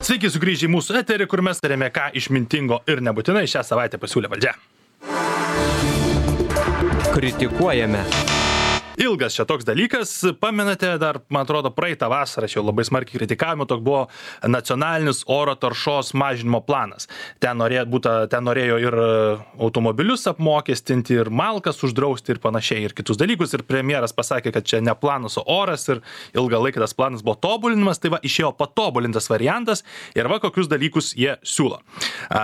Sveiki sugrįžę į mūsų eterį, kur mes tarėme, ką išmintingo ir nebūtinai šią savaitę pasiūlė valdžia. Kritikuojame. Ilgas čia toks dalykas, pamenate, dar, man atrodo, praeitą vasarą čia labai smarkiai kritikavimo, toks buvo nacionalinis oro taršos mažinimo planas. Ten norėjo ir automobilius apmokestinti, ir malkas uždrausti ir panašiai, ir kitus dalykus. Ir premjeras pasakė, kad čia ne planas, o oras, ir ilgą laiką tas planas buvo tobulinimas, tai va, išėjo patobulintas variantas, ir va, kokius dalykus jie siūlo.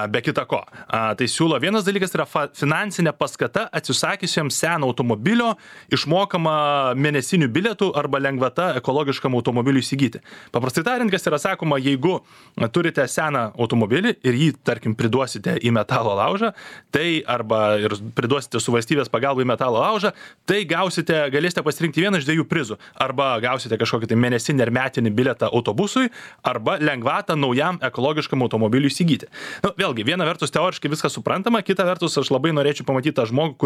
Be kita ko, tai siūlo vienas dalykas, yra finansinė paskata atsisakiusiems seno automobilio išmokama mėnesinių bilietų arba lengvata ekologiškam automobiliui įsigyti. Paprastai tariant, kas yra sakoma, jeigu turite seną automobilį ir jį, tarkim, priduosite į metalo laužą, tai arba ir priduosite su valstybės pagalba į metalo laužą, tai galėsite pasirinkti vieną iš dviejų prizų. Arba gausite kažkokį tai mėnesinį ar metinį bilietą autobusui, arba lengvatą naujam ekologiškam automobiliui įsigyti. Vėlgi, viena vertus teoriškai viskas suprantama, kita vertus aš labai norėčiau pamatyti tą žmogų,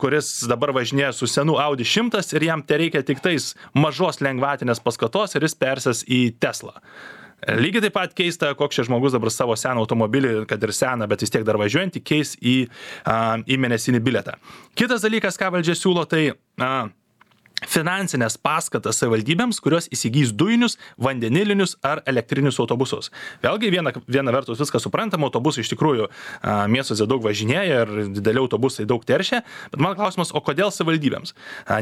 kuris dabar važinėja su senu Audi 100 ir jam tereikia tik tais mažos lengvatinės paskatos ir jis persės į Teslą. Lygiai taip pat keista, koks šis žmogus dabar savo seną automobilį, kad ir seną, bet vis tiek dar važiuojantį, keis į mėnesinį bilietą. Kitas dalykas, ką valdžia siūlo, tai finansinės paskatas savivaldybėms, kurios įsigys dujinius, vandenilinius ar elektrinius autobusus. Vėlgi, viena vertus viskas suprantama, autobusai iš tikrųjų miestuose daug važinėja ir dideli autobusai daug teršia, bet man klausimas, o kodėl savivaldybėms?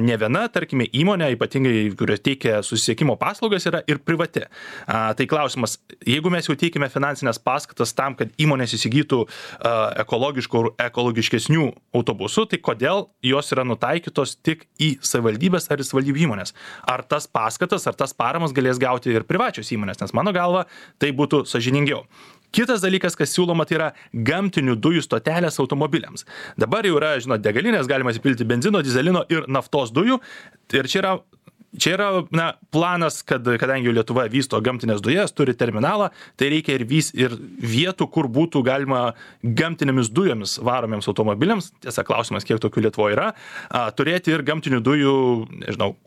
Ne viena, tarkime, įmonė, ypatingai, kurio teikia susisiekimo paslaugas, yra ir privati. Tai klausimas, jeigu mes jau teikime finansinės paskatas tam, kad įmonės įsigytų ekologiškų ir ekologiškesnių autobusų, tai kodėl jos yra nutaikytos tik į savivaldybės ar į savivaldybių įmonės? Ar tas paskatas, ar tas paramas galės gauti ir privačios įmonės? Nes mano galva, tai būtų sąžiningiau. Kitas dalykas, kas siūloma, tai yra gamtinių dujų stotelės automobiliams. Dabar jau yra, degalinės, galima įsipilti benzino, dizelino ir naftos dujų. Ir čia yra planas, kadangi Lietuva vysto gamtinės dujas, turi terminalą, tai reikia ir vietų, kur būtų galima gamtinėmis dujomis varomiems automobiliams, tiesa klausimas, kiek tokių Lietuvoje yra, turėti ir gamtinių dujų,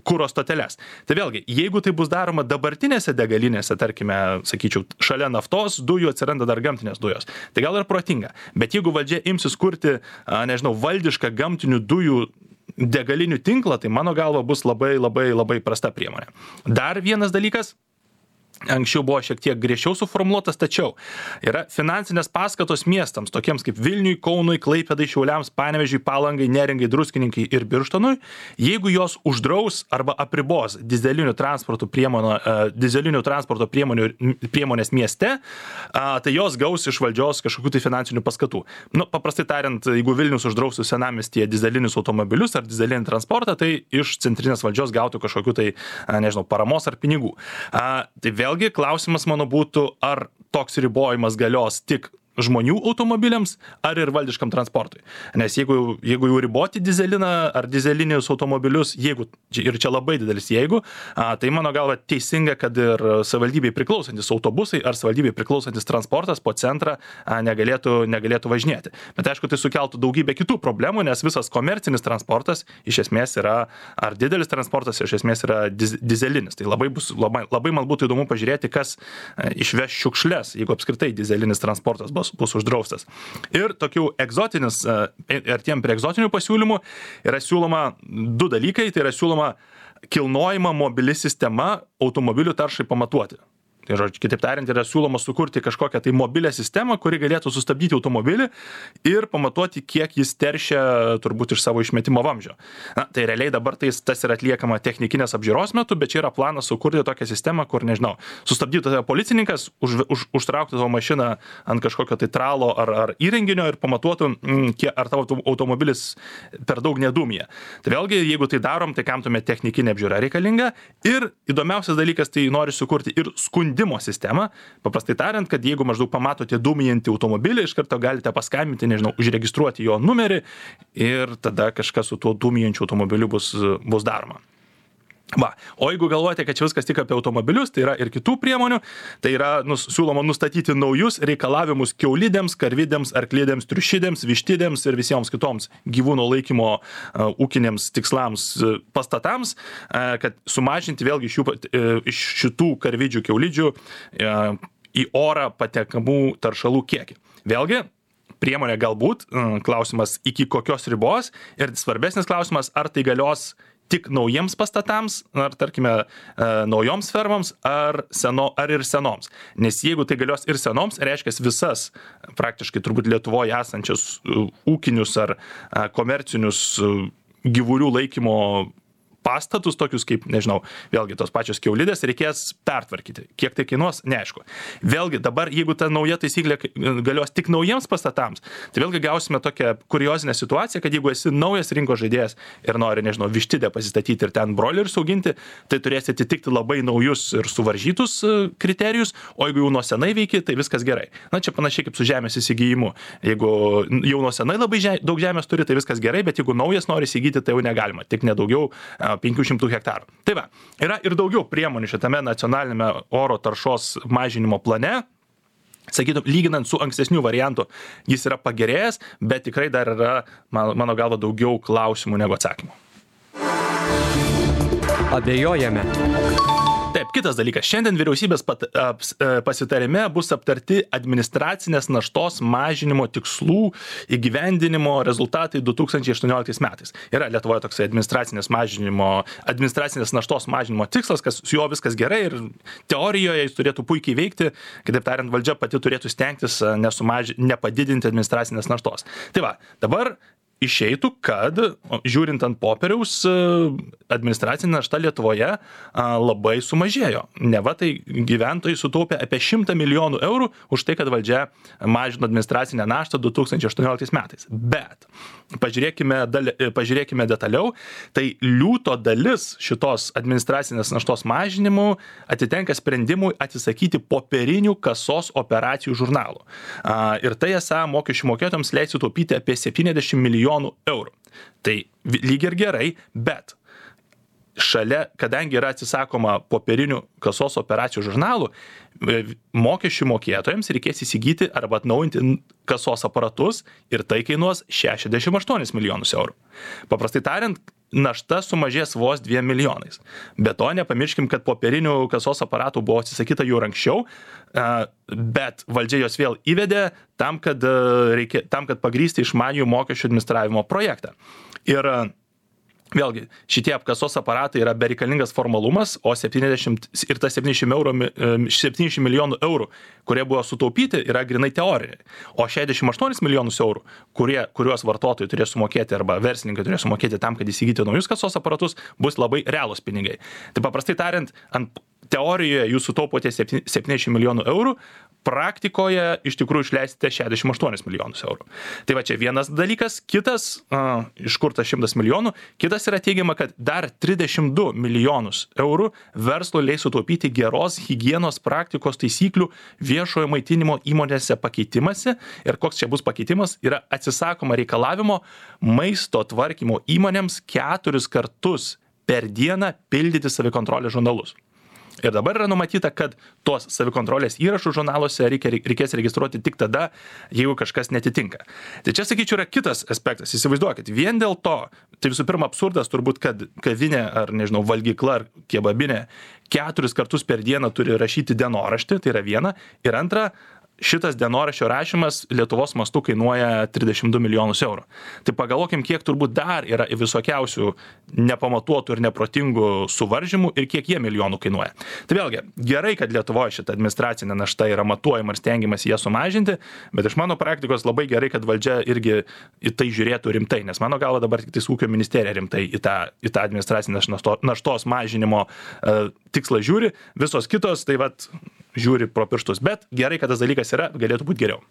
kuro stoteles. Tai vėlgi, jeigu tai bus daroma dabartinėse degalinėse, tarkime, sakyčiau, šalia naftos dujų atsiranda dar gamtinės dujos, tai gal ir protinga. Bet jeigu valdžia imsis kurti, valdišką gamtinių dujų degalinių tinklą, tai mano galva bus labai, labai, labai prasta priemonė. Dar vienas dalykas, anksčiau buvo šiek tiek griežčiau suformuoluotas, tačiau yra finansinės paskatos miestams, tokiems kaip Vilniui, Kaunui, Klaipėdai, Šiauliams, Panevėžiui, Palangai, Neringai, Druskininkai ir Birštonui, jeigu jos uždraus arba apribos dizelinių transporto priemonės mieste, tai jos gaus iš valdžios kažkokių tai finansinių paskatų. Paprastai tariant, jeigu Vilnius uždraustų senamiestyje dizelinius automobilius ar dizelinį transportą, tai iš centrinės valdžios gautų kažkokių tai, paramos ar pinigų. Tai vėlgi klausimas mano būtų, ar toks ribojimas galios tik žmonių automobiliams ar ir valdiškam transportui. Nes jeigu jau riboti dizeliną ar dizelinius automobilius, ir čia labai didelis jeigu, tai mano galva teisinga, kad ir savivaldybei priklausantis autobusai ar savivaldybei priklausantis transportas po centrą negalėtų važinėti. Bet aišku, tai sukeltų daugybę kitų problemų, nes visas komercinis transportas iš esmės yra, ar didelis transportas iš esmės yra dizelinis. Tai labai man būtų įdomu pažiūrėti, kas išveš šiukšles, jeigu apskritai dizelinis transportas bus uždraustas. Ir tokių artėjant prie egzotinių pasiūlymų yra siūloma du dalykai, tai yra siūloma kilnojama mobili sistema automobilių taršai pamatuoti. Tai kitaip tariant, yra siūloma sukurti kažkokią tai mobilią sistemą, kuri galėtų sustabdyti automobilį ir pamatuoti, kiek jis teršia turbūt iš savo išmetimo vamzdžio. Tai realiai dabar tas yra atliekama technikinės apžiūros metu, bet čia yra planas sukurti tokią sistemą, kur, sustabdytų tave policininkas, užtrauktų tavo mašiną ant kažkokio tai tralo ar įrenginio ir pamatuotų, ar tavo automobilis per daug nedūmija. Tai vėlgi, jeigu tai darom, tai kam tuomet technikinė apžiūra reikalinga. Ir įdomiausias dalykas, tai nori sukurti ir skundimo sistemą, paprastai tariant, kad jeigu maždaug pamatote dūmijantį automobilį, iš karto galite paskambinti, užregistruoti jo numerį ir tada kažkas su tuo dūmijančiu automobiliu bus daroma. O jeigu galvojate, kad čia viskas tik apie automobilius, tai yra ir kitų priemonių, tai yra siūloma nustatyti naujus reikalavimus kiaulidėms, karvidėms, arklidėms, triušidėms, vištidėms ir visiems kitoms gyvūno laikymo ūkiniams tikslams pastatams, kad sumažinti vėlgi iš šitų karvidžių, kiaulidžių į orą patekamų taršalų kiekį. Vėlgi, priemonė galbūt, klausimas iki kokios ribos ir svarbesnis klausimas, ar tai galios tik naujiems pastatams, ar tarkime naujoms fermoms, ar ir senoms. Nes jeigu tai galios ir senoms, reiškia visas praktiškai turbūt Lietuvoje esančius ūkinius ar komercinius gyvulių laikymo pastatus, tokius kaip, nežinau, vėlgi tos pačios kiaulidės reikės pertvarkyti. Kiek tai kainuos, neaišku. Vėlgi dabar, jeigu ta nauja taisyklė galios tik naujiems pastatams, tai vėlgi gausime tokią kuriozinę situaciją, kad jeigu esi naujas rinkos žaidėjas ir nori, nežinau, vištidę pasistatyti ir ten broilerius auginti, tai turėsi atitikti labai naujus ir suvaržytus kriterijus, o jeigu jau nuo senai veiki, tai viskas gerai. Na, čia panašiai kaip su žemės įsigijimu. Jeigu jau nuo senai labai daug žemės turi, tai viskas gerai, bet jeigu naujas nori įsigyti, tai jau negalima. Tik nedaugiau 500 hektarų. Tai va, yra ir daugiau priemonių šitame nacionalinėme oro taršos mažinimo plane. Sakytum, lyginant su ankstesniu variantu, jis yra pagerėjęs, bet tikrai dar yra, mano galva, daugiau klausimų negu atsakymų. Abejojame. Taip, kitas dalykas. Šiandien vyriausybės pasitarime bus aptarti administracinės naštos mažinimo tikslų įgyvendinimo rezultatai 2018 metais. Yra Lietuvoje toksai administracinės naštos mažinimo tikslas, kas su juo viskas gerai ir teorijoje jis turėtų puikiai veikti, kitaip tariant, valdžia pati turėtų stengtis nepadidinti administracinės naštos. Tai va, dabar išeitų, kad, žiūrint ant popieriaus, administracinė našta Lietuvoje labai sumažėjo. Neva tai gyventojai sutaupė apie 100 milijonų eurų už tai, kad valdžia mažino administracinę naštą 2018 metais. Bet pažiūrėkime detaliau, tai liūto dalis šitos administracinės naštos mažinimų atitenka sprendimui atsisakyti popierinių kasos operacijų žurnalų. Ir tai esą mokesčių mokėtojams leis sutaupyti apie 70 milijonų eurų. Tai lyg ir gerai, bet šalia, kadangi yra atsisakoma popierinių kasos operacijų žurnalų, mokesčių mokėtojams reikės įsigyti arba atnaujinti kasos aparatus ir tai kainuos 68 milijonus eurų. Paprastai tariant, našta sumažės vos 2 milijonais. Be to, nepamirškim, kad popierinių kasos aparatų buvo atsisakyta jau anksčiau, bet valdžia jos vėl įvedė tam, kad pagrįsti išmaniųjų mokesčių administravimo projektą. Ir vėlgi, šitie apkasos aparatai yra bereikalingas formalumas, o 70 milijonų eurų, kurie buvo sutaupyti, yra grinai teoriniai. O 68 milijonus eurų, kuriuos vartotojai turės sumokėti arba verslininkai turės sumokėti tam, kad įsigyti naujus kasos aparatus, bus labai realūs pinigai. Tai paprastai tariant, ant teorijoje jūs sutaupote 70 milijonų eurų, praktikoje iš tikrųjų išleisite 68 milijonus eurų. Tai va čia vienas dalykas, kitas, iš kur tas 100 milijonų, kitas yra teigiama, kad dar 32 milijonus eurų verslo leis sutaupyti geros higienos praktikos taisyklių viešojo maitinimo įmonėse pakeitimasi. Ir koks čia bus pakeitimas, yra atsisakoma reikalavimo maisto tvarkymo įmonėms 4 kartus per dieną pildyti savikontrolės žurnalus. Ir dabar yra numatyta, kad tos savikontrolės įrašų žurnaluose reikės registruoti tik tada, jeigu kažkas netitinka. Tai čia, sakyčiau, yra kitas aspektas. Įsivaizduokit, vien dėl to, tai visų pirma absurdas turbūt, kad kavinė ar, nežinau, valgykla ar kebabinė 4 kartus per dieną turi rašyti dienoraštį, tai yra viena. Ir antra, šitas dienoraščio rašymas Lietuvos mastu kainuoja 32 milijonus eurų. Tai pagalvokim, kiek turbūt dar yra visokiausių nepamatuotų ir neprotingų suvaržymų ir kiek jie milijonų kainuoja. Tai vėlgi, gerai, kad Lietuvoje šita administracinė našta yra matuojama ir stengiamas ją sumažinti, bet iš mano praktikos labai gerai, kad valdžia irgi į tai žiūrėtų rimtai, nes mano galva dabar tik ūkio ministerija rimtai į tą administracinės naštos mažinimo tikslą žiūri, visos kitos tai vat žiūri pro pirštus, bet gerai, kad tas dalykas yra, galėtų būti geriau.